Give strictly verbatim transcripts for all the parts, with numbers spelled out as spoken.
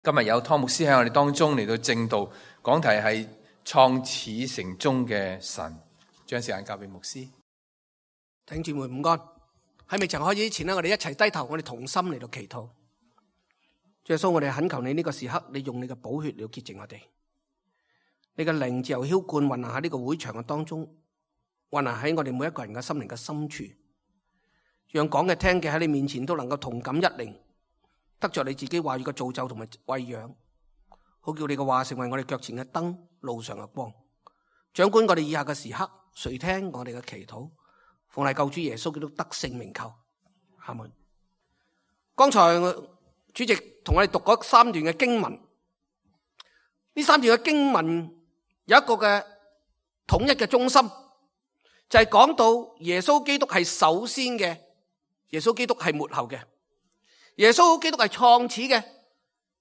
今日有湯牧師喺我哋當中嚟到證道，講題係創始成終嘅神。將時間交俾牧師。弟兄姊妹午安。喺未曾開始之前呢，我哋一齊低頭，我哋同心嚟到祈禱。主耶穌，我哋懇求你呢個時刻，你用你嘅寶血嚟潔淨我哋。你嘅靈自由澆灌運行喺呢個會場嘅當中，運行喺我哋每一個人嘅心靈嘅深處，讓講嘅聽嘅喺你面前都能夠同感一靈，得着你自己話語嘅造就同埋餵養，好叫你嘅話成為我哋腳前嘅燈，路上嘅光。掌管我哋以下嘅時刻，垂聽我哋嘅祈禱，奉係救主耶穌基督得勝名求，阿門。剛才主席同我哋讀嗰三段嘅經文，呢三段嘅經文有一個嘅統一嘅中心，就係講到耶穌基督係首先嘅，耶穌基督係末後嘅，耶穌基督係創始嘅，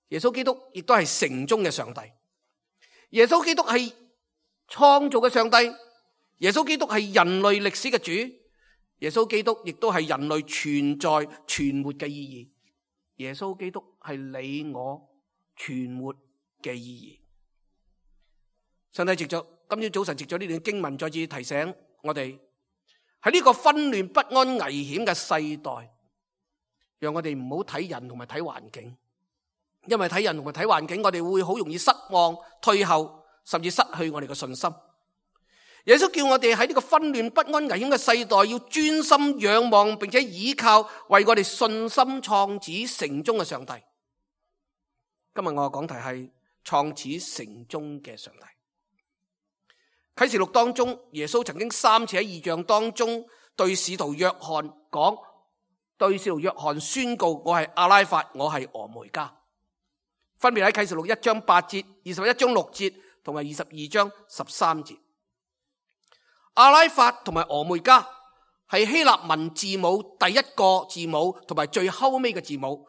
耶穌基督亦都係成終嘅上帝。耶穌基督係創造嘅上帝，耶穌基督係人類歷史嘅主，耶穌基督亦都係人類存在存活嘅意義。耶穌基督係你我存活嘅意義。上帝藉着今朝早晨藉咗呢段經文，再次提醒我哋喺呢個紛亂不安危險嘅世代，讓我哋唔好睇人同埋睇環境，因為睇人同埋睇環境，我哋會好容易失望、退後，甚至失去我哋嘅信心。耶穌叫我哋喺呢個紛亂不安危險嘅世代，要專心仰望並且倚靠為我哋信心創始成終嘅上帝。今日我嘅講題係創始成終嘅上帝。啟示錄當中，耶穌曾經三次喺異象當中對使徒約翰講，對使徒約翰宣告：我係阿拉法，我係俄梅加。分別喺啟示錄一章八節、二十一章六節同埋二十二章十三節。阿拉法同埋俄梅加係希臘文字母第一個字母同埋最後尾嘅字母。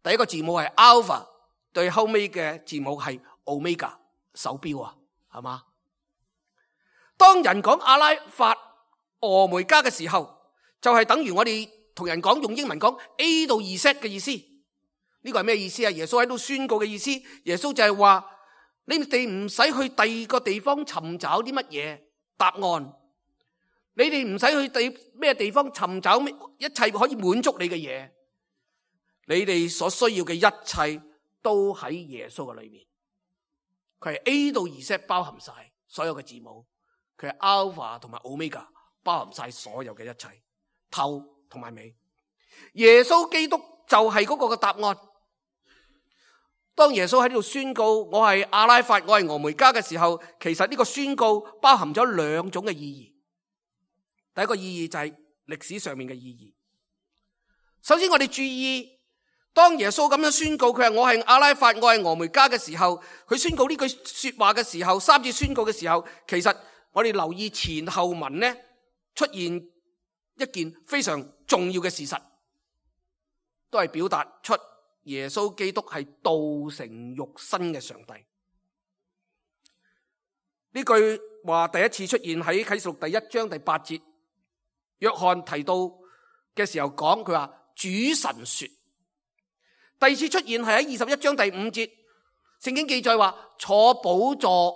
第一個字母係 Alpha， 最後尾嘅字母係 Omega， 手錶啊，係嘛？當人講阿拉法、俄梅加嘅時候，就係、是、等於我哋同人講用英文講 A 到 Z 嘅意思。呢個係咩意思啊？耶穌喺度宣告嘅意思，耶穌就係話你哋唔使去第二個地方尋找啲乜嘢答案，你哋唔使去第咩地方尋找一切可以滿足你嘅嘢，你哋所需要嘅一切都喺耶穌嘅裏面。佢係 A 到 Z 包含晒所有嘅字母，佢係 Alpha 同埋 Omega 包含晒所有嘅一切，頭同埋尾。耶穌基督就係嗰個嘅答案。當耶穌喺呢度宣告我係阿拉法，我係俄梅加嘅時候，其實呢個宣告包含咗兩種嘅意義。第一個意義就係歷史上面嘅意義。首先我哋注意，當耶穌咁樣宣告佢係我係阿拉法，我係俄梅加嘅時候，佢宣告呢句說話嘅時候，三次宣告嘅時候，其實我哋留意前後文呢，出現一件非常重要嘅事實，都係表達出耶穌基督係道成肉身嘅上帝。呢句話第一次出現喺啟示錄第一章第八節，約翰提到嘅時候講，佢話主神說。第二次出現係喺二十一章第五節，聖經記載話坐寶座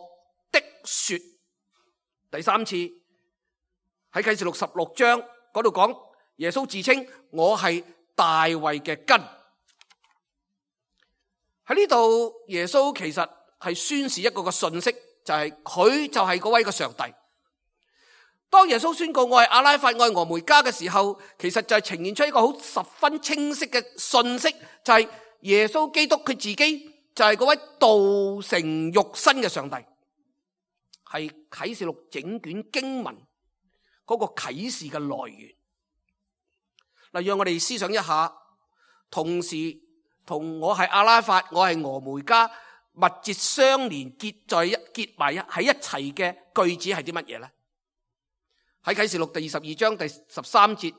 的說。第三次喺啟示錄十六章嗰度講，耶穌自稱我係大衛嘅根。喺呢度耶穌其實係宣示一個個信息，就係、是、佢就係嗰位個上帝。當耶穌宣告我係阿拉法，我係俄梅加嘅時候，其實就係呈現出一個好十分清晰嘅信息，就係、是、耶穌基督佢自己就係嗰位道成肉身嘅上帝，係啟示錄整卷經文嗰個啟示嘅來源。嗱，讓我哋思想一下，同時同我係阿拉法，我係俄梅加密切相連結在一結埋喺一齊嘅句子係啲乜嘢呢？喺啟示錄第二十二章第十三節，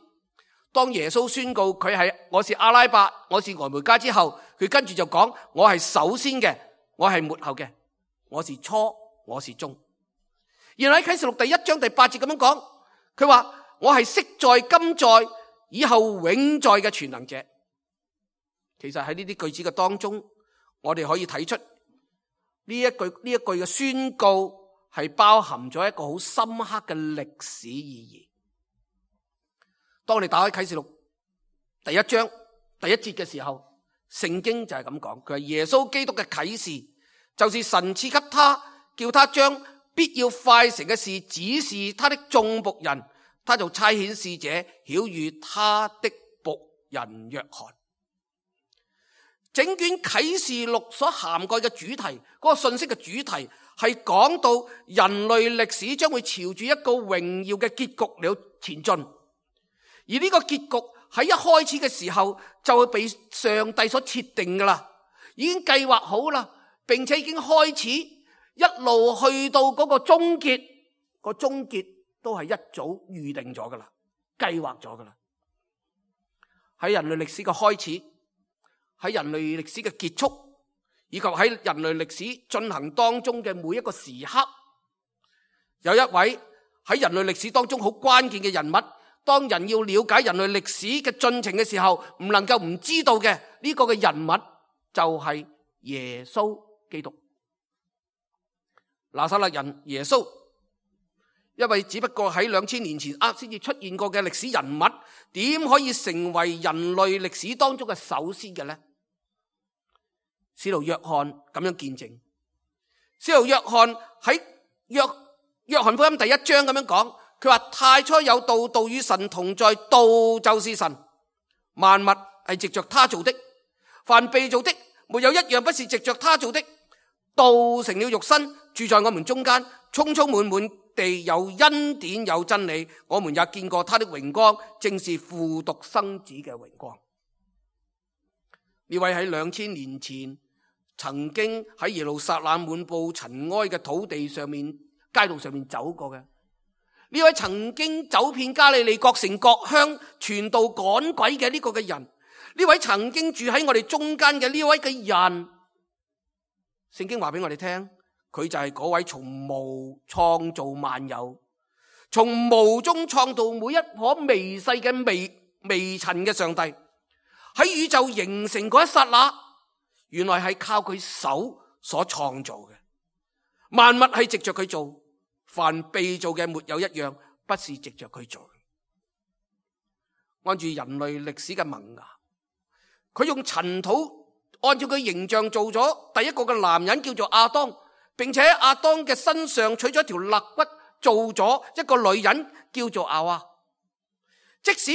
當耶穌宣告佢係我是阿拉伯，我是俄梅加之後，佢跟住就講我係首先嘅，我係末後嘅，我是初，我是終。然後喺啟示錄第一章第八節咁樣講，佢話我係昔在今在以後永在嘅全能者。其實喺呢啲句子嘅當中，我哋可以睇出呢一句呢一句嘅宣告係包含咗一個好深刻嘅歷史意義。當你打開啟示錄第一章第一節嘅時候，聖經就係咁講，佢係耶穌基督嘅啟示，就是神賜給他，叫他將必要快成嘅事指示他的眾僕人，他就差遣使者曉諭他的僕人約翰。整卷啟示錄所涵蓋嘅主題，嗰、那個信息嘅主題係講到人類歷史將會朝住一個榮耀嘅結局嚟前進，而呢個結局喺一開始嘅時候就會被上帝所設定噶啦，已經計劃好啦，並且已經開始一路去到嗰個終結，個終結都係一早預定咗噶啦，計劃咗噶啦。喺人類歷史嘅開始，喺人類歷史嘅結束，以及喺人類歷史進行當中嘅每一個時刻，有一位喺人類歷史當中好關鍵嘅人物，當人要了解人類歷史嘅進程嘅時候，唔能夠唔知道嘅呢個嘅人物就係耶穌基督。拿撒勒人耶穌，一位只不過喺兩千年前啱先至出現過嘅歷史人物，點可以成為人類歷史當中嘅首先嘅呢？使徒約翰咁樣見證，使徒約翰喺約約翰福音第一章咁樣講，佢話太初有道，道與神同在，道就是神，萬物係藉着他做的，凡被造的沒有一樣不是藉着他做的。道成了肉身，住在我們中間，充充滿滿地有恩典有真理，我們也見過他的榮光，正是父獨生子嘅榮光。呢位喺兩千年前曾經喺耶路撒冷滿布塵埃嘅土地上面街道上面走過嘅，呢位曾經走遍加利利各城各鄉傳道趕鬼嘅呢個嘅人，呢位曾經住喺我哋中間嘅呢位嘅人，聖經話俾我哋聽，佢就係嗰位從無創造萬有，從無中創造每一顆微細嘅微微塵嘅上帝，喺宇宙形成嗰一剎那，原來係靠佢手所創造嘅，萬物係藉着佢做，凡被造嘅沒有一樣不是藉着佢做。按住人類歷史嘅萌芽，佢用塵土按照佢形象做咗第一個嘅男人，叫做亞當，並且喺亞當嘅身上取咗一條肋骨，做咗一個女人，叫做亞娃。即使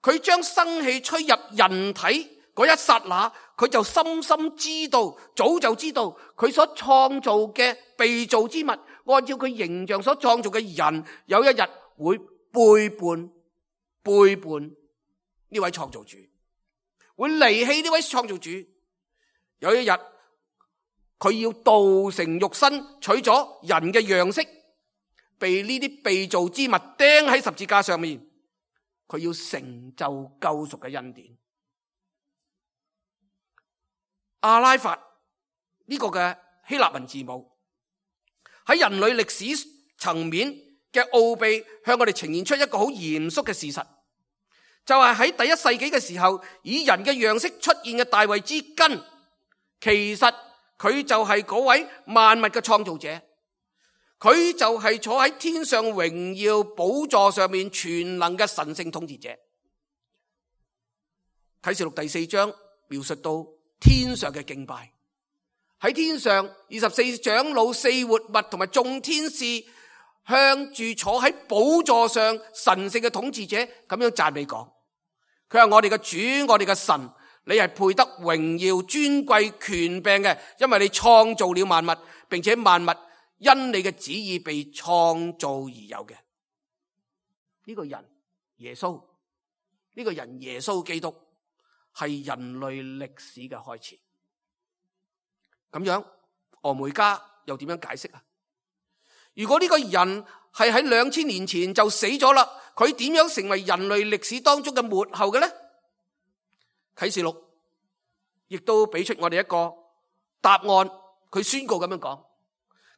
佢將生氣吹入人體嗰一剎那，佢就深深知道，早就知道佢所創造嘅被造之物，按照佢形象所創造嘅人，有一日會背叛背叛呢位創造主，會離棄呢位創造主。有一日佢要道成肉身，取咗人嘅樣式，被呢啲被造之物釘喺十字架上面，佢要成就救贖嘅恩典。阿拉法呢個嘅希臘文字母喺人類歷史層面嘅奧秘，向我哋呈現出一個好嚴肅嘅事實，就係喺第一世紀嘅時候，以人嘅樣式出現嘅大衛之根，其實佢就係嗰位萬物嘅創造者，佢就係坐喺天上榮耀寶座上面全能嘅神聖統治者。啟示錄第四章描述到天上嘅敬拜，喺天上二十四長老、四活物同埋眾天使向住坐喺寶座上神聖嘅統治者咁樣讚美講，佢話我哋嘅主，我哋嘅神，你係配得榮耀、尊貴、權柄嘅，因為你創造了萬物，並且萬物因你嘅旨意被創造而有嘅。呢個人耶穌，呢個人耶穌基督係人類歷史嘅開始。咁樣俄梅嘉又點樣解釋啊？如果呢個人係喺兩千年前就死咗啦，佢點樣成為人類歷史當中嘅末後嘅呢？啟示錄亦都俾出我哋一個答案，佢宣告咁樣講，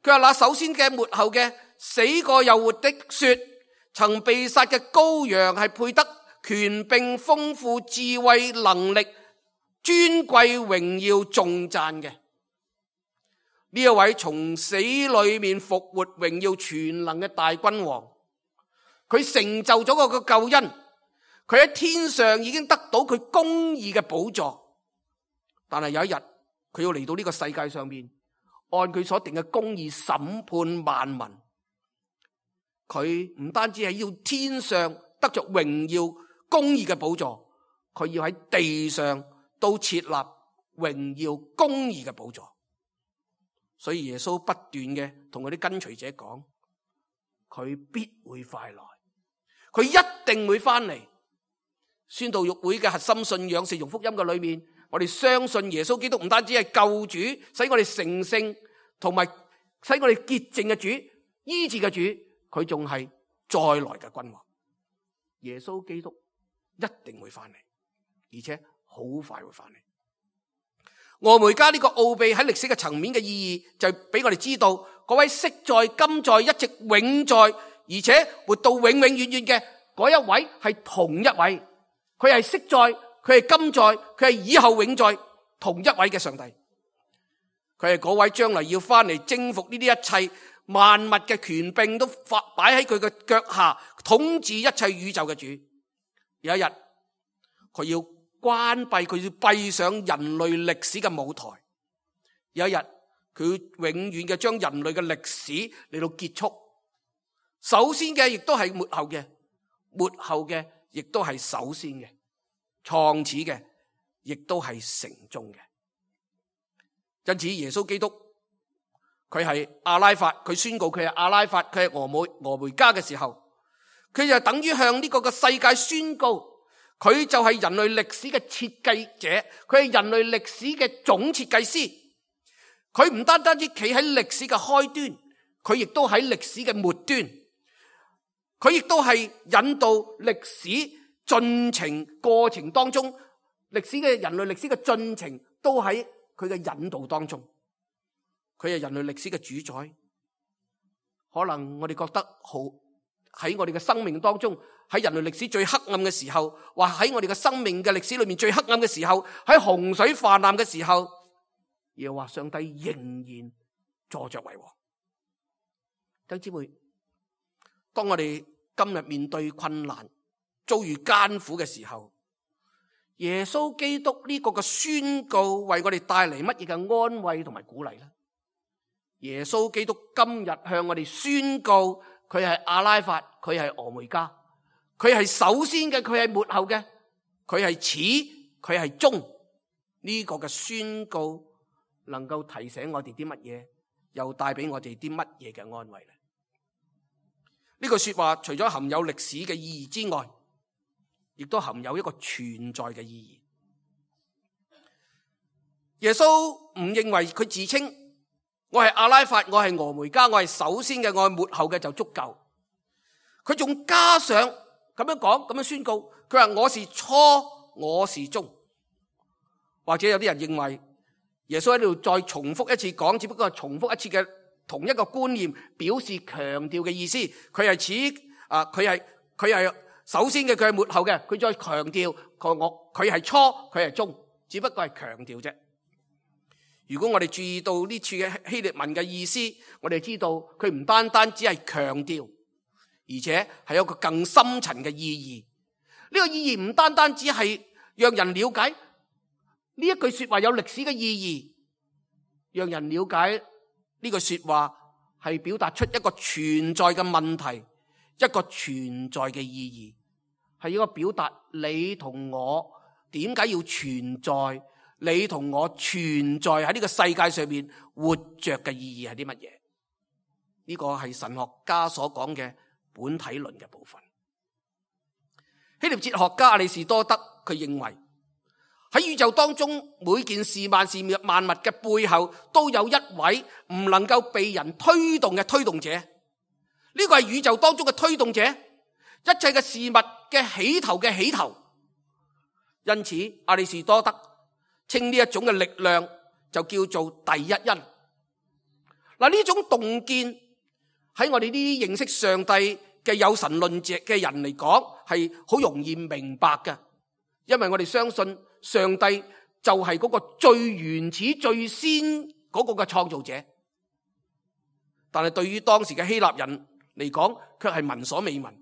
佢話那首先嘅末後嘅死過又活的說，曾被殺嘅羔羊係配得權柄、豐富、智慧、能力、尊貴榮耀頌讚嘅呢一位從死裏面復活榮耀全能嘅大君王，佢成就咗個救恩，佢喺天上已經得到佢公義嘅寶座，但係有一日佢要嚟到呢個世界上面，按佢所定嘅公義審判萬民。佢唔單止係要天上得着榮耀公義嘅寶座，佢要喺地上都設立榮耀公義嘅寶座。所以耶穌不斷嘅同佢啲跟隨者講，佢必會快來，佢一定會翻嚟。宣道育會嘅核心信仰是用福音嘅裏面，我哋相信耶穌基督唔單止係救主，使我哋成聖，同埋使我哋潔淨嘅主、醫治嘅主，佢仲係再來嘅君王。耶穌基督一定會翻嚟，而且好快會翻嚟。俄梅加呢個奧秘喺歷史嘅層面嘅意義，就俾我哋知道嗰位昔在、今在、一直永在，而且活到永永遠遠嘅嗰一位係同一位。佢係昔在，佢係今在，佢係以後永在，同一位嘅上帝。佢係嗰位將來要翻嚟征服呢啲一切萬物嘅權柄都發擺喺佢嘅腳下，統治一切宇宙嘅主。有一日佢要關閉，佢要閉上人類歷史嘅舞台。有一日佢永遠嘅將人類嘅歷史嚟到結束。首先嘅亦都係末後嘅，末後嘅亦都係首先嘅，創始嘅亦都係成終嘅。因此耶穌基督佢係阿拉法，佢宣告佢係阿拉法，佢係俄梅俄梅加嘅時候，佢就等於向呢個嘅世界宣告，佢就係人類歷史嘅設計者，佢係人類歷史嘅總設計師。佢唔單單止企喺歷史嘅開端，佢亦都喺歷史嘅末端，佢亦都係引導歷史進程過程當中，歷史嘅人類歷史嘅進程都喺佢嘅引導當中。佢係人類歷史嘅主宰。可能我哋覺得好，喺我哋嘅生命當中，喺人類歷史最黑暗嘅時候，或喺我哋嘅生命嘅歷史裏面最黑暗嘅時候，喺洪水泛濫嘅時候，又話上帝仍然坐着為王。弟兄姊妹，當我哋今日面對困難、遭遇艱苦嘅時候，耶穌基督呢個嘅宣告為我哋帶嚟乜嘢嘅安慰同埋鼓勵呢？耶穌基督今日向我哋宣告，佢係阿拉法，佢係俄梅加，佢係首先嘅，佢係末後嘅，佢係始，佢係終。呢個嘅宣告能夠提醒我哋啲乜嘢，又帶俾我哋啲乜嘢嘅安慰呢？呢句說話除咗含有歷史嘅意義之外，亦都含有一個存在嘅意義。耶穌唔認為佢自稱我係阿拉法，我係俄梅加，我係首先嘅，我係末後嘅就足夠。佢仲加上咁樣講，咁樣宣告，佢話我是初，我是終。或者有啲人認為耶穌喺度再重複一次講，只不過係重複一次嘅同一個觀念，表示強調嘅意思。佢係始啊，佢係佢係首先嘅，佢係末後嘅，佢再強調佢我佢係初，佢係終，只不過係強調啫。如果我哋注意到呢處嘅希臘文嘅意思，我哋知道佢唔單單只係強調，而且係有一個更深層嘅意義。呢個意義唔單單只係讓人了解呢一句說話有歷史嘅意義，讓人了解呢句說話係表達出一個存在嘅問題，一個存在嘅意義，係一個表達你同我點解要存在，你同我存在喺呢個世界上面活着嘅意義係啲乜嘢？呢個係神學家所講嘅本體論嘅部分。希臘哲學家阿里士多德佢認為喺宇宙當中每件事萬事萬物嘅背後都有一位唔能夠被人推動嘅推動者，呢個係宇宙當中嘅推動者，一切嘅事物嘅起頭嘅起頭。因此阿里士多德稱呢一種嘅力量就叫做第一因。嗱，呢種洞見喺我哋呢啲認識上帝嘅有神論者嘅人嚟講係好容易明白嘅，因為我哋相信上帝就係嗰個最原始最先嗰個嘅創造者。但係對於當時嘅希臘人嚟講，卻係聞所未聞。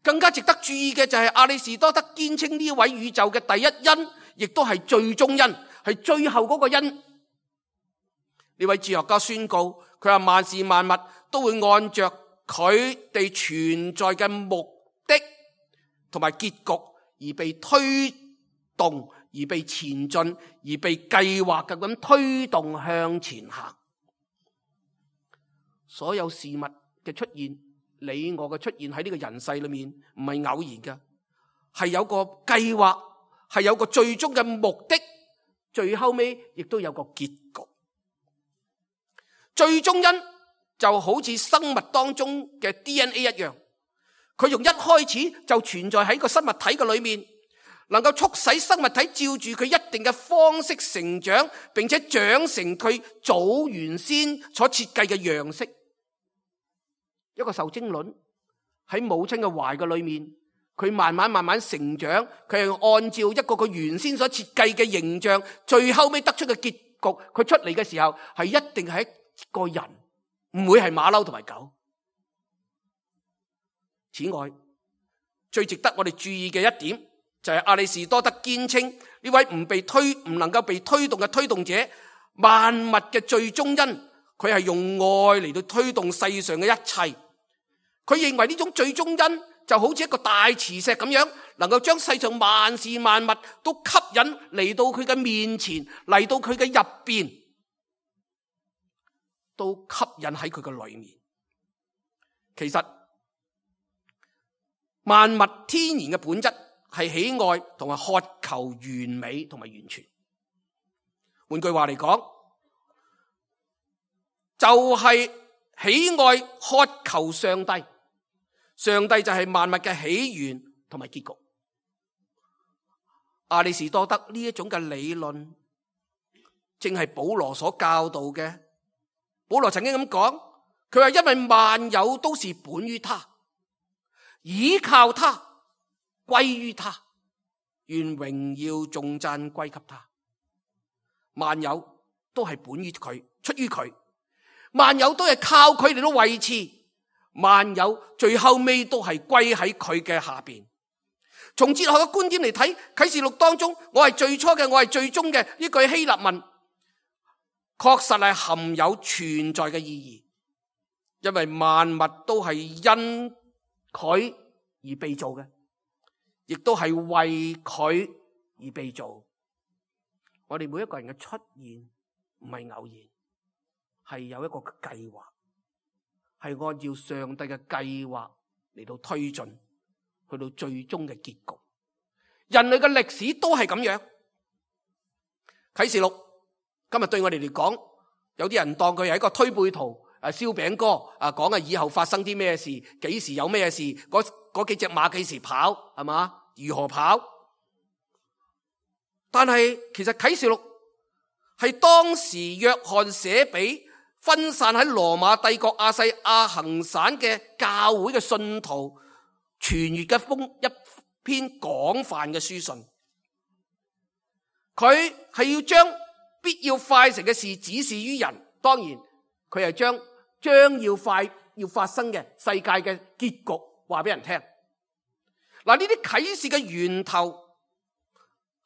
更加值得注意嘅就係亞里士多德堅稱呢位宇宙嘅第一因，亦都係最終因，係最後嗰個因。呢位哲學家宣告，佢話萬事萬物都會按着佢哋存在嘅目的同埋結局而被推動，而被前進，而被計劃嘅咁推動向前行。所有事物嘅出現，你我嘅出現喺呢個人世裏面，唔係偶然嘅，係有個計劃，係有個最終嘅目的，最後尾亦都有個結局。最終因就好似生物當中嘅 D N A 一樣，佢從一開始就存在喺個生物體嘅裏面，能夠促使生物體照住佢一定嘅方式成長，並且長成佢早原先所設計嘅樣式。一個受精卵喺母親嘅懷嘅裏面，佢慢慢慢慢成長，佢係按照一個佢原先所設計嘅形象，最後尾得出嘅結局，佢出嚟嘅時候係一定係一個人，唔會係馬騮同埋狗。此外，最值得我哋注意嘅一點就係亞里士多德堅稱呢位唔被推唔能夠被推動嘅推動者，萬物嘅最終因，佢係用愛嚟到推動世上嘅一切。佢認為呢種最終因就好似一個大磁石咁樣，能夠將世上萬事萬物都吸引嚟到佢嘅面前，嚟到佢嘅入邊，都吸引喺佢嘅裏面。其實萬物天然嘅本質係喜愛同埋渴求完美同埋完全。換句話嚟講，就係喜愛渴求上帝。上帝就係萬物嘅起源同埋結局。亞里士多德呢一種嘅理論，正係保羅所教導嘅。保羅曾經咁講，佢話因為萬有都是本於他，倚靠他，歸於他，願榮耀頌讚歸給他。萬有都係本於佢，出於佢，萬有都係靠佢嚟到維持。萬有最後尾都係歸喺佢嘅下邊。從哲學嘅觀點嚟睇，啟示錄當中，我係最初嘅，我係最終嘅呢句希臘文，確實係含有存在嘅意義。因為萬物都係因佢而被造嘅，亦都係為佢而被造。我哋每一個人嘅出現唔係偶然，係有一個計劃。係按照上帝嘅計劃嚟到推進，去到最終嘅結局。人類嘅歷史都係咁樣。啟示錄今日對我哋嚟講，有啲人當佢係一個推背圖，誒燒餅歌，啊講啊以後發生啲咩事，幾時有咩事，嗰嗰幾隻馬幾時跑，係嘛？如何跑？但係其實啟示錄係當時約翰寫俾分散喺羅馬帝國亞細亞行省嘅教會嘅信徒傳閱嘅封一篇廣泛嘅書信。佢係要將必要快成嘅事指示於人，當然佢係將將要快要發生嘅世界嘅結局話俾人聽。嗱，呢啲啟示嘅源頭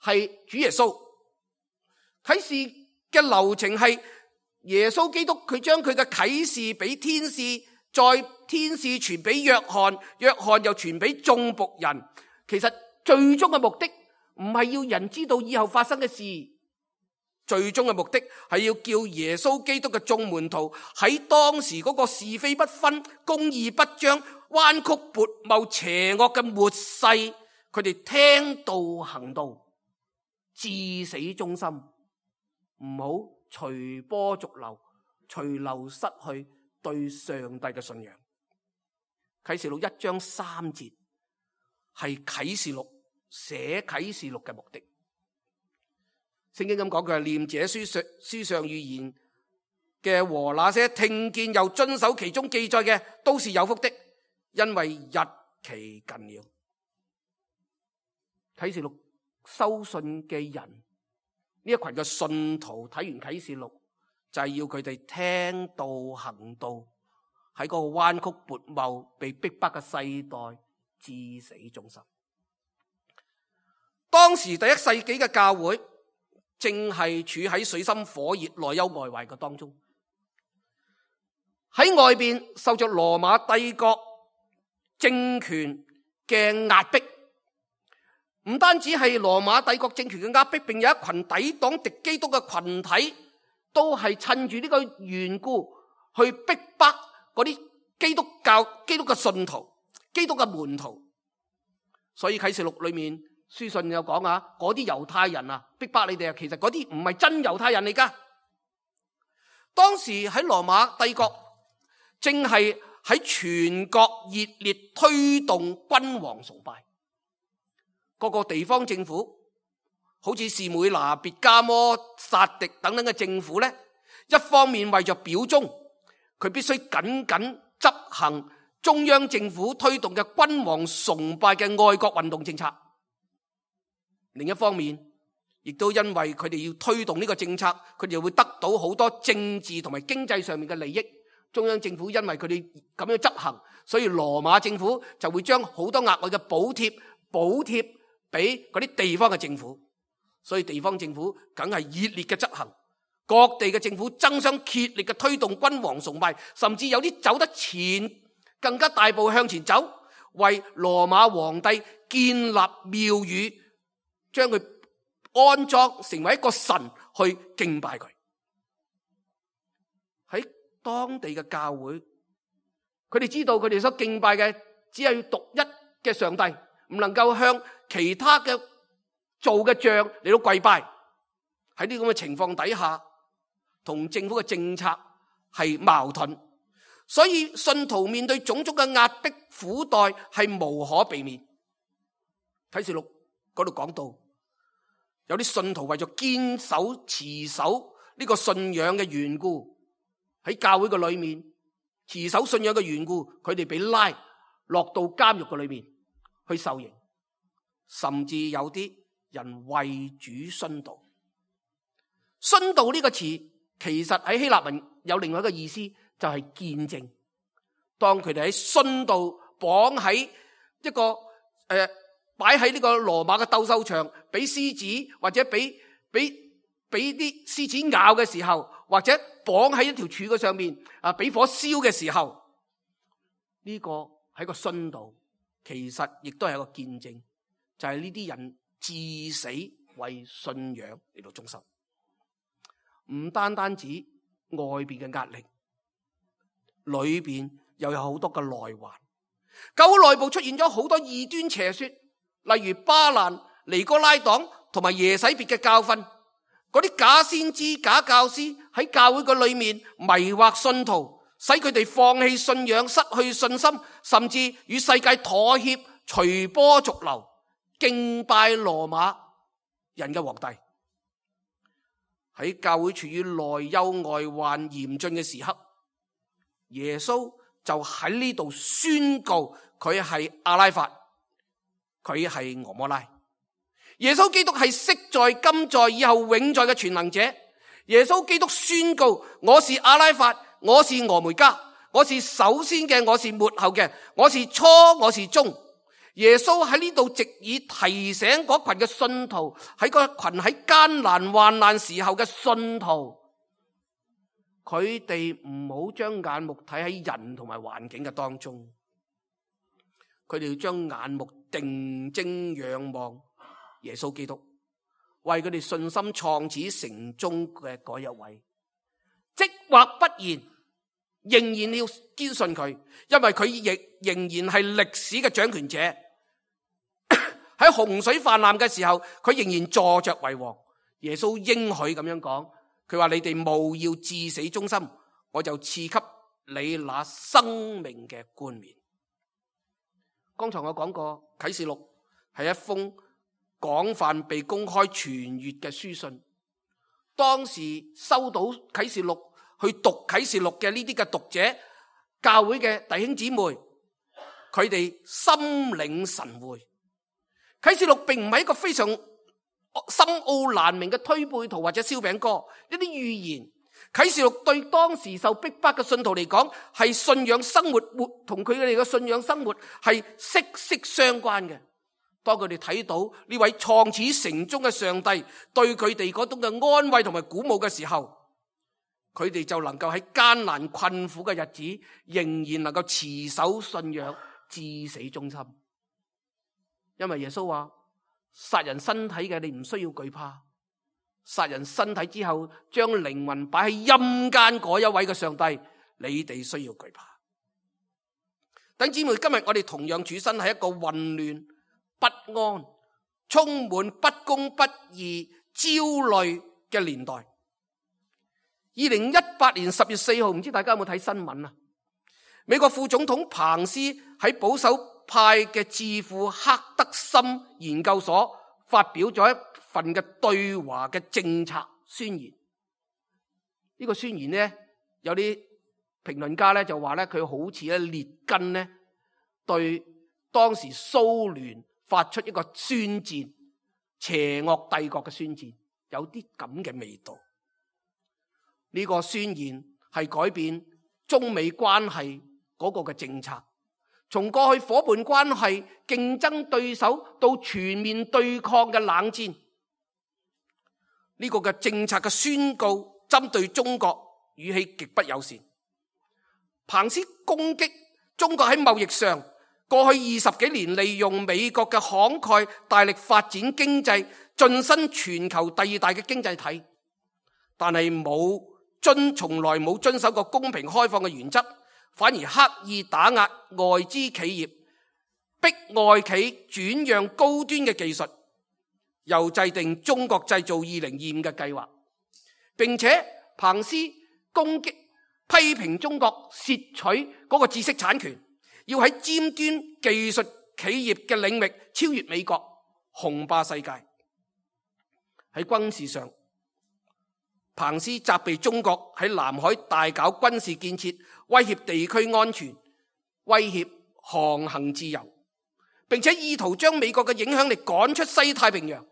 係主耶穌。啟示嘅流程係耶穌基督，佢將佢嘅啟示俾天使，再天使傳俾約翰，約翰又傳俾眾僕人。其實最終嘅目的唔係要人知道以後發生嘅事，最終嘅目的係要叫耶穌基督嘅眾門徒喺當時嗰個是非不分、公義不彰、彎曲悖謬、邪惡嘅末世，佢哋聽道行道，至死忠心，唔好隨波逐流，隨流失去對上帝嘅信仰。啟示錄一章三節係啟示錄寫啟示錄嘅目的。聖經咁講，佢係念這書上書上預言嘅和那些聽見又遵守其中記載嘅，都是有福的，因為日期近了。啟示錄收信嘅人呢一群嘅信徒睇完啟示錄，就係要佢哋聽道行道，喺嗰個彎曲悖謬、被逼迫嘅世代至死忠心。當時第一世紀嘅教會正係處喺水深火熱、內憂外患嘅當中，喺外邊受着羅馬帝國政權嘅壓迫，唔單止係羅馬帝國政權嘅壓迫，並有一群抵擋敵基督嘅群體，都係趁住呢個緣故去逼迫嗰啲基督教、基督嘅信徒、基督嘅門徒。所以啟示錄裏面書信有講啊，嗰啲猶太人啊，逼迫你哋啊，其實嗰啲唔係真猶太人嚟噶。當時喺羅馬帝國正係喺全國熱烈推動君王崇拜，各個地方政府好似士每拿、別加摩、撒狄等等嘅政府咧，一方面為咗表忠，佢必須緊緊執行中央政府推動嘅君王崇拜嘅愛國運動政策。另一方面，亦都因為佢哋要推動呢個政策，佢哋會得到好多政治同埋經濟上面嘅利益。中央政府因為佢哋咁樣執行，所以羅馬政府就會將好多額外嘅補貼補貼俾嗰啲地方嘅政府。所以地方政府梗係熱烈嘅執行，各地嘅政府爭相竭力嘅推動君王崇拜，甚至有啲走得前，更加大步向前走，為羅馬皇帝建立廟宇，將佢安裝成為一個神去敬拜佢。喺當地嘅教會，佢哋知道佢哋所敬拜嘅只係獨一嘅上帝，唔能夠向其他嘅做嘅像嚟到跪拜。喺呢咁嘅情況底下，同政府嘅政策係矛盾，所以信徒面對種種嘅壓迫苦待係無可避免。啟示錄嗰度講到，有啲信徒為咗堅守持守呢個信仰嘅緣故，喺教會嘅裏面持守信仰嘅緣故，佢哋被拉落到監獄嘅裏面去受刑，甚至有啲人為主殉道。殉道呢個詞其實喺希臘文有另外一個意思，就係見證。當佢哋喺殉道綁喺一個誒擺喺呢個羅馬嘅鬥獸場，俾獅子或者俾俾俾啲獅子咬嘅時候，或者綁喺一條柱嘅上面啊，俾火燒嘅時候，呢個係個殉道，其實亦都係一個見證，就係呢啲人至死為信仰嚟到忠心。唔單單止外邊嘅壓力，裏邊又有好多嘅內患。教會內部出現咗好多異端邪說，例如巴蘭、尼哥拉黨同埋耶洗別嘅教訓。嗰啲假先知、假教師喺教會嘅裏面迷惑信徒，使佢哋放棄信仰、失去信心，甚至與世界妥協、隨波逐流，敬拜羅馬人嘅皇帝。喺教會處於內憂外患嚴峻嘅時刻，耶穌就喺呢度宣告佢係阿拉法，佢係俄摩拉。耶穌基督係昔在、今在、以後永在嘅全能者。耶穌基督宣告：我是阿拉法，我是俄梅加，我是首先嘅，我是末後嘅，我是初，我是終。耶穌喺呢度直以提醒嗰群嘅信徒，喺個群喺艱難患難時候嘅信徒，佢哋唔好將眼目睇喺人同埋環境嘅當中，佢哋要將眼目定睛仰望耶穌基督，為佢哋信心創始成終嘅嗰一位，即或不然，仍然要堅信佢，因為佢亦仍然係歷史嘅掌權者。喺洪水泛濫嘅時候，佢仍然坐着為王。耶穌應許咁樣講，佢話：你哋務要至死忠心，我就賜給你那生命嘅冠冕。剛才我講過，啟示錄係一封廣泛被公開傳閱嘅書信。當時收到啟示錄去讀啟示錄嘅呢啲嘅讀者，教會嘅弟兄姊妹，佢哋心領神會。啟示錄並唔係一個非常深奧難明嘅推背圖或者燒餅歌，一啲預言。啟示錄對當時受逼迫嘅信徒嚟講，係信仰生活活同佢哋嘅信仰生活係息息相關嘅。當佢哋睇到呢位創始成終嘅上帝對佢哋嗰種嘅安慰同埋鼓舞嘅時候，佢哋就能夠喺艱難困苦嘅日子，仍然能夠持守信仰至死忠心。因為耶穌話：殺人身體嘅你唔需要懼怕。殺人身體之後，將靈魂擺喺陰間嗰一位嘅上帝，你哋需要懼怕。弟兄姊妹，今日我哋同樣處身喺一個混亂、不安、充滿不公不義、焦慮嘅年代。二零一八年十月四號，唔知大家有冇睇新聞啊？美國副總統彭斯喺保守派嘅智庫克德森研究所發表咗一份嘅對華嘅政策宣言。呢個宣言呢，有啲評論家咧就話咧，佢好似咧列根呢對當時蘇聯發出一個宣戰，邪惡帝國嘅宣戰，有啲咁嘅味道。呢個宣言係改變中美關係嗰個嘅政策，從過去夥伴關係、競爭對手到全面對抗嘅冷戰。呢個嘅政策嘅宣告針對中國語氣極不友善。彭斯攻擊中國喺貿易上過去二十幾年利用美國嘅慷慨大力發展經濟，晉身全球第二大嘅經濟體，但係冇遵從來冇遵守過公平開放嘅原則，反而刻意打壓外資企業，逼外企轉讓高端嘅技術，又制定中國製造二零二五嘅計劃，並且彭斯攻擊批評中國竊取嗰個知識產權，要喺尖端技術企業嘅領域超越美國，雄霸世界。喺軍事上，彭斯責備中國喺南海大搞軍事建設，威脅地區安全，威脅航行自由，並且意圖將美國嘅影響力趕出西太平洋。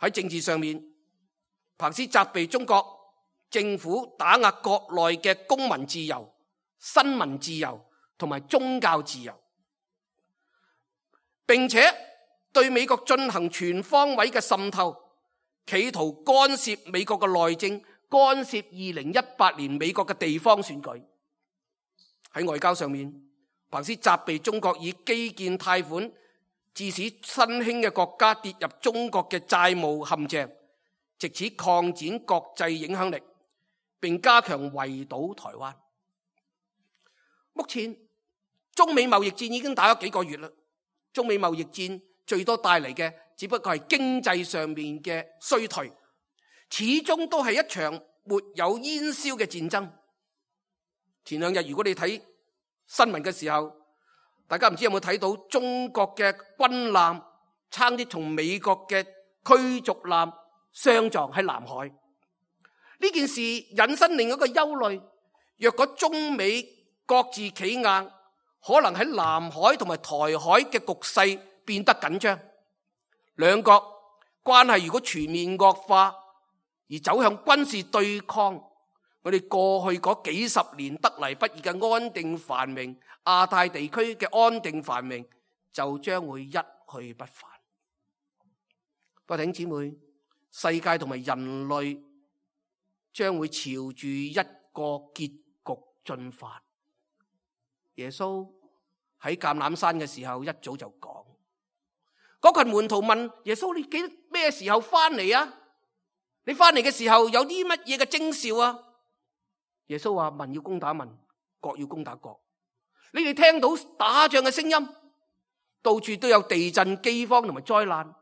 喺政治上面，彭斯責備中國政府打壓國內嘅公民自由、新聞自由同埋宗教自由，並且對美國進行全方位嘅滲透，企圖干涉美國嘅內政，干涉二零一八年美國嘅地方選舉。喺外交上面，彭斯責備中國以基建貸款致使新興嘅國家跌入中國嘅債務陷阱，藉此擴展國際影響力，並加強圍堵台灣。目前中美貿易戰已經打咗幾個月啦，中美貿易戰最多帶嚟嘅只不過係經濟上面嘅衰退，始終都係一場沒有煙硝嘅戰爭。前兩日如果你睇新聞嘅時候，大家唔知有冇睇到中國嘅軍艦差啲同美國嘅驅逐艦相撞喺南海。呢件事引申另一個憂慮，若果中美各自企硬，可能喺南海同埋台海嘅局勢變得緊張，兩國關係如果全面惡化而走向軍事對抗，我哋過去嗰幾十年得嚟不易嘅安定繁榮，亞太地區嘅安定繁榮就將會一去不返。各位弟兄姊妹，世界同埋人類將會朝住一個結局進發。耶穌喺橄欖山嘅時候一早就講，嗰群門徒問耶穌：你記得咩時候翻嚟啊？你翻嚟嘅時候有啲乜嘢嘅徵兆啊？耶穌話：民要攻打民，國要攻打國。你哋聽到打仗嘅聲音，到處都有地震、饑荒同埋災難，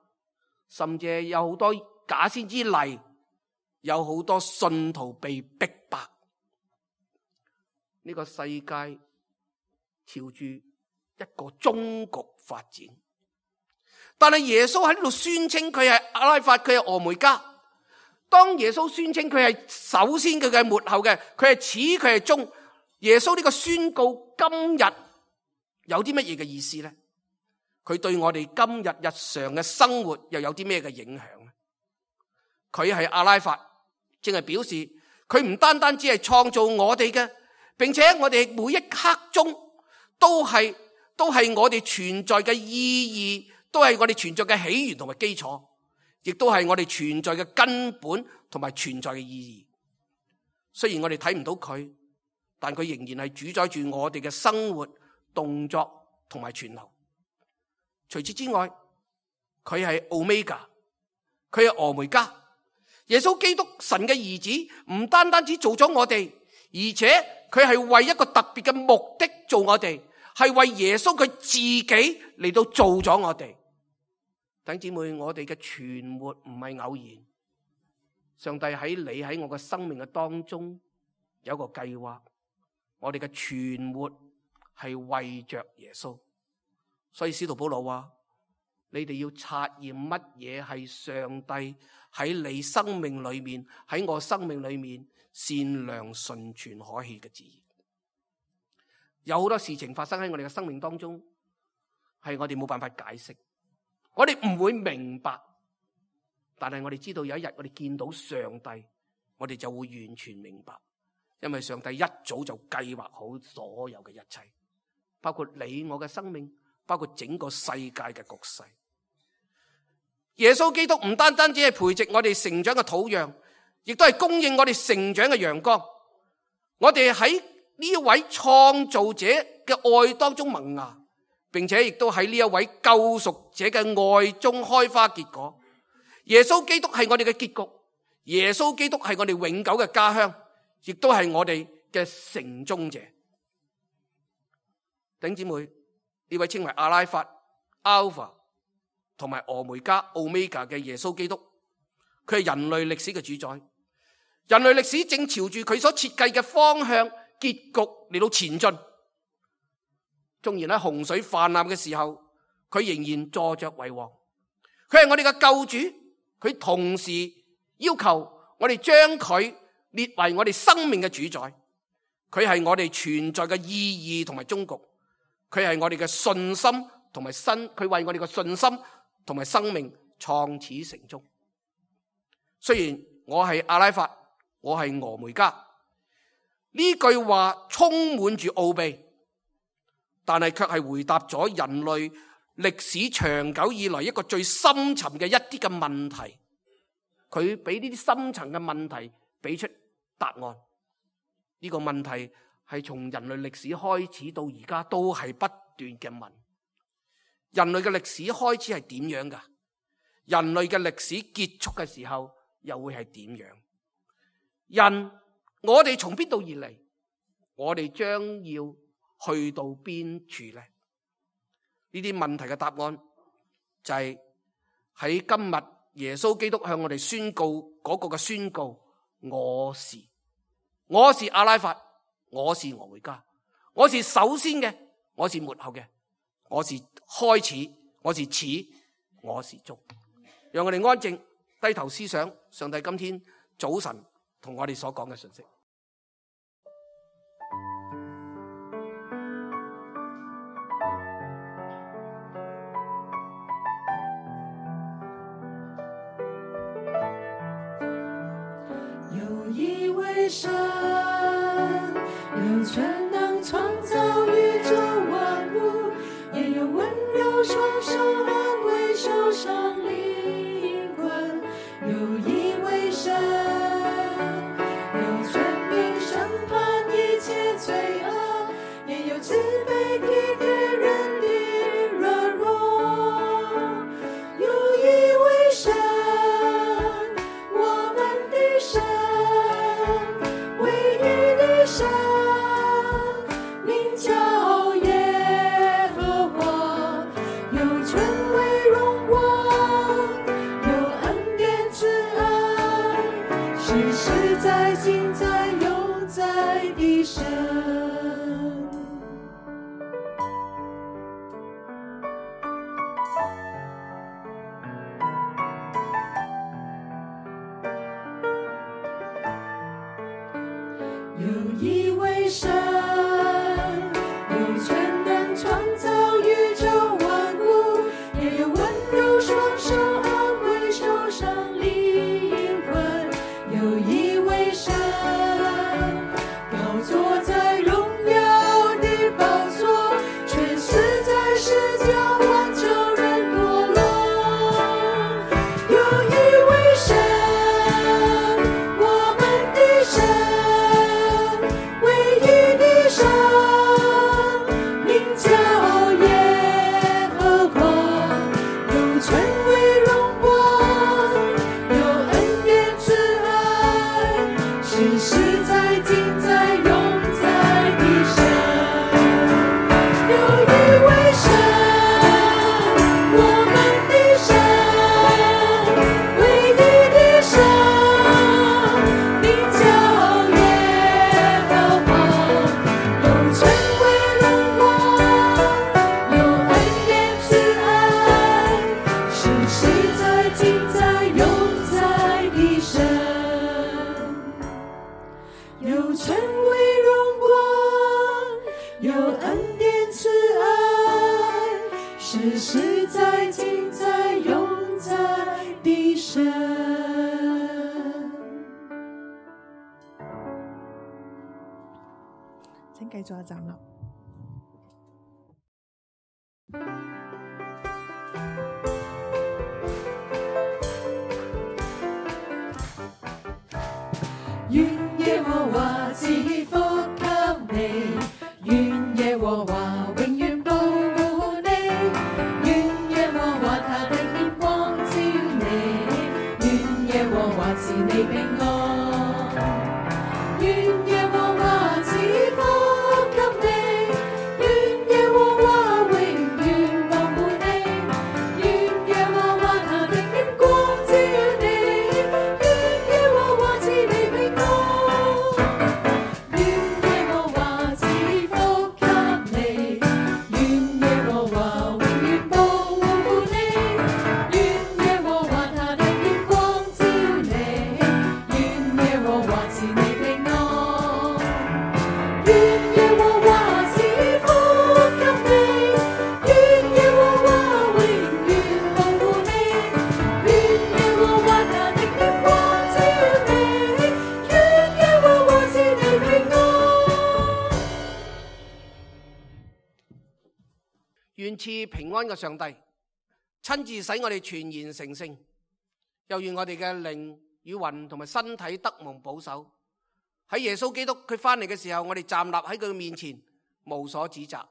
甚至有好多假先知嚟，有好多信徒被逼迫。呢個世界朝住一個終局發展，但係耶穌喺呢度宣稱佢係阿拉法，佢係俄梅加。當耶穌宣稱佢係首先，佢嘅末後嘅，佢係始，佢係終。耶穌呢個宣告今日有啲乜嘢嘅意思呢？佢對我哋今日日常嘅生活又有啲咩嘅影響呢？佢係阿拉法，正係表示佢唔單單只係創造我哋嘅，並且我哋每一刻中都係都係我哋存在嘅意義，都係我哋存在嘅起源同埋基礎，亦都係我哋存在嘅根本同埋存在嘅意義。雖然我哋睇唔到佢，但佢仍然係主宰住我哋嘅生活、動作同埋存留。除此之外，佢係 Omega， 佢係俄梅加。耶穌基督神嘅兒子唔單單只做咗我哋，而且佢係為一個特別嘅目的做我哋，係為耶穌佢自己嚟到做咗我哋。弟兄姊妹，我哋嘅存活唔係偶然，上帝喺你喺我嘅生命嘅當中有一個計劃，我哋嘅存活係為着耶穌。所以使徒保羅話，你哋要察驗乜嘢係上帝喺你生命裏面，喺我生命裏面善良純全可喜嘅旨意。有好多事情發生喺我哋嘅生命當中，係我哋冇辦法解釋，我哋唔會明白，但係我哋知道有一日我哋見到上帝，我哋就會完全明白，因為上帝一早就計劃好所有嘅一切，包括你我嘅生命，包括整個世界嘅局勢。耶穌基督唔單單只係培植我哋成長嘅土壤，亦都係供應我哋成長嘅陽光。我哋喺呢一位創造者嘅愛當中萌芽，並且亦都喺呢一位救贖者嘅愛中開花結果。耶穌基督係我哋嘅結局，耶穌基督係我哋永久嘅家鄉，亦都係我哋嘅成終者。弟兄姊妹，呢位稱為阿拉法、Alpha 同埋俄梅加、Omega 嘅耶穌基督，佢係人類歷史嘅主宰。人類歷史正朝住佢所設計嘅方向結局嚟到前進。縱然喺洪水泛濫嘅時候，佢仍然坐着為王。佢係我哋嘅救主，佢同時要求我哋將佢列為我哋生命嘅主宰。佢係我哋存在嘅意義同埋終局。佢係我哋嘅信心同埋新，佢為我哋嘅信心同埋生命創始成終。雖然我係阿拉法，我係俄梅加，呢句話充滿住奧秘，但係卻係回答咗人類歷史長久以來一個最深沉嘅一啲嘅問題。佢俾呢啲深層嘅問題俾出答案。呢個問題係從人類歷史開始到而家都係不斷嘅問。人類嘅歷史開始係點樣㗎？人類嘅歷史結束嘅時候又會係點樣？人，我哋從邊度而嚟？我哋將要去到邊處呢？呢啲問題嘅答案就係喺今日耶穌基督向我哋宣告嗰個嘅宣告：我是，我是阿拉法，我是俄梅加，我是首先嘅，我是末後嘅，我是開始，我是始，我是終。讓我哋安靜低頭思想上帝今天早晨同我哋所講嘅信息。有一位神，有全能創造宇宙萬物，也有溫柔雙手安慰受傷靈魂。有一位神，有權柄審判一切罪惡，也有慈悲體貼人的軟弱。有一位神，我們的神，唯一的神，名叫耶和華，有權威榮光，有恩典慈愛，是實在今在永在的神。有一位神，有權能創造宇宙萬物，实实在今在永在的神。有一位神，我们的神，唯一的神，名叫耶和华，有权威荣光，有恩典慈爱，实实在今在永在的神。有权威荣光，有恩典慈爱，实实在今在永在的神。請繼續站立。願耶和華賜福給你，願耶和華永遠保護你，願耶和華他的臉光照你，願耶和華賜你平安，願耶和華賜福給你，願耶和華永遠保護你，願耶和華他的臉光照你，願耶和華賜你平安。願賜平安嘅上帝親自使我哋全然成聖，又願我哋嘅靈與魂同埋身體得蒙保守。喺耶穌基督佢翻嚟嘅時候，我哋站立喺佢面前，無所指責。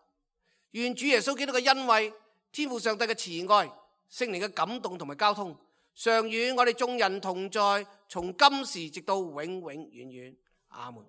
願主耶穌基督嘅恩惠、天父上帝嘅慈愛、聖靈嘅感動同埋交通，常與我哋眾人同在，從今時直到永永遠遠。阿門。